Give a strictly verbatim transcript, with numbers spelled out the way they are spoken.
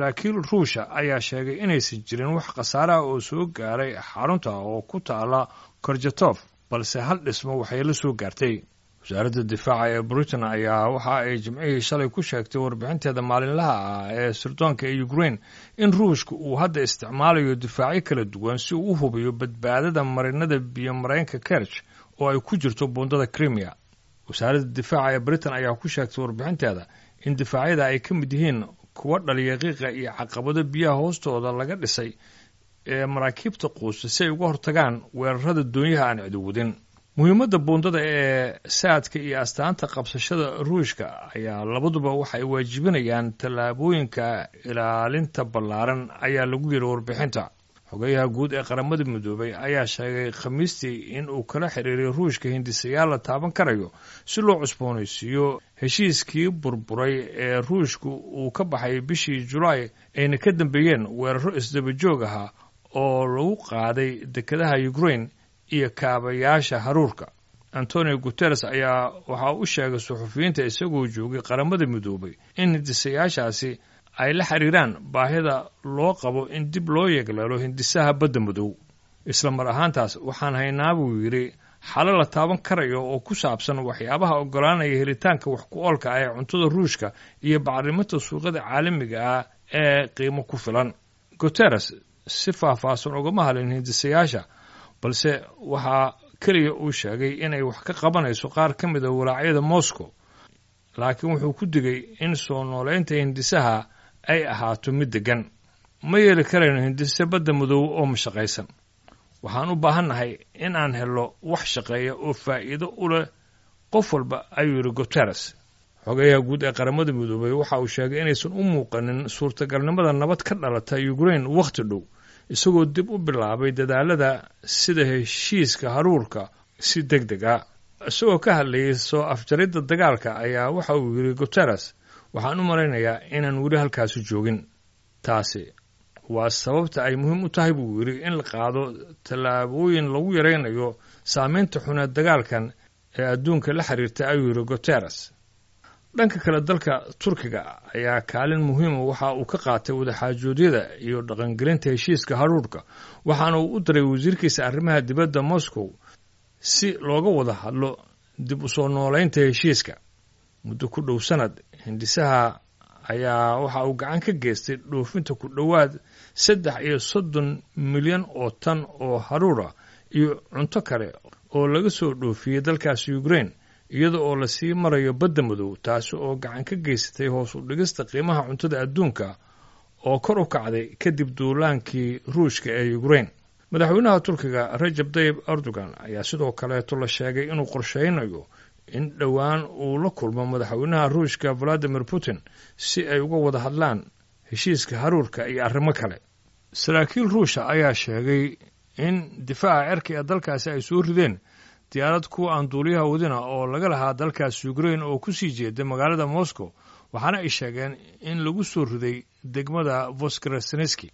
Saraakiil Ruusha ayaa sheegay inaysan jirin wax khasaaraha oo soo gaaray xarunta oo ku taala Korjatof, balse hal dhismo waxay la soo gaartay. Wasaaradda difaaca ee Britain ayaa waxa ay Jimcihii shalay ku sheegtay warbixinteeda maalinlaha ah ee sirdoonka ee Ukraine in Ruushka uu hadda isticmaalayo difaacyo kala duwan si uu u hubiyo badbaadada marinada biyo-mareenka Kerch oo ay ku jirto buundada Crimea. Wasaaradda difaaca ee Britain ayaa ku sheegtay warbixinteeda in difaacyada ay ka mid yihiin kuwa dhaliya qiiqa iyo caqabado biyaha hoostooda laga dhisay ee maraakiibta quusta si ay uga hortagaan weerarada doonyaha aan cidiwadin. Muhiimadda buundada ee saadka iyo astaanta qabsashada Ruushka ayaa labaduba waxay waajibinayaan tallaabooyinka ilaalinta ballaaran, ayaa lagu yidhi warbixinta. Xogayaha guud ee Qaramada Midoobay ayaa sheegay Khamiistii in uu kala xiriiray Ruushka hindisayaal la taaban karayo si loo cusboonaysiiyo heshiiskii burburay ee Ruushka uu ka baxay bishii Julaay, ayna ka dambeeyeen weeraro isdaba joog ahaa oo lagu qaaday dekedaha Ukraine iyo kaabayaasha haruurka. Antonio Guteres ayaa waxaa u sheegay suxufiyiinta isagoo joogay Qaramada Midoobay in hindisayaashaasi ay la xiriiraan baahida loo qabo in dib loo yegleelo hindisaha Badda Madow. Isla mar ahaantaas, waxaan haynaa, buu yidhi, xalo la taaban karayo oo ku saabsan waxyaabaha oggolaanaya helitaanka wax ku oolka ah ee cuntada Ruushka iyo bacriminta suuqyada caalamiga ah ee qiimo ku filan. Guteres si faahfaahsan ugama hadlin hindisayaasha, balse waxaa keliya uu sheegay inay wax ka qabanayso qaar ka mid a walaacyada Moscow, laakiin wuxuu ku digay in soo nooleynta hindisaha ay ahaato mid deggan. Ma yeeli karayno hindise Badda Madow oo mashaqaysan. Waxaan u baahannahay in aan helno wax shaqeeya oo faa'iido u leh qof walba, ayuu yidhi Guteres. Xogayaha guud ee Qaramada Midoobay waxa uu sheegay inaysan u muuqanin suurtagalnimada nabad ka dhalata Ukraine wakhti dhow, isagoo dib u bilaabay dadaalada sida heshiiska haruurka si deg deg ah. Isagoo ka hadlayay soo afjaridda dagaalka ayaa waxa uu yidhi Guteres: "Waxaan u malaynayaa inaan weli halkaasi joogin. Taasi waa sababta ay muhiim u tahay," buu yidhi, "in la qaado tallaabooyin lagu yaraynayo saameynta xuneed dagaalkan ee adduunka la xiriirta," ayuu yidhi Guteres. Dhanka kale, dalka Turkiga ayaa kaalin muhiima waxa uu ka qaatay wadaxaajoodyada iyo dhaqangelinta heshiiska haruurka, waxaana uu u diray wasiirkiisa arrimaha dibadda Moscow si looga wada hadlo dib u soo nooleynta heshiiska. Muddo ku dhow sanad, hindisaha ayaa waxa uu gacan ka geystay dhoofinta ku dhowaad saddex iyo soddon milyan oo tan oo haruura iyo cunto kale oo laga soo dhoofiyey dalkaasi Ukraine, iyada oo lasii marayo Badda Madow, taasi oo gacan ka geysatay hoos u dhigista qiimaha cuntada adduunka oo kor u kacday kadib duulaankii Ruushka ee Ukraine. Madaxweynaha Turkiga Rajab Tayib Erdogan ayaa sidoo kaleeto la sheegay inuu qorsheynayo in dhowaan uu la kulmo madaxweynaha Ruushka Valadimir Putin si ay uga wada hadlaan heshiiska haruurka iyo arrimo kale. Saraakiil Ruusha ayaa sheegay in difaaca cirka ee dalkaasi ay soo rideen diyaarad kuwa aan duuliyaha wadina oo laga lahaa dalkaasi Ukraine oo kusii jeeda magaalada Moscow, waxaana ay sheegeen in lagu soo riday degmada Voskresenski.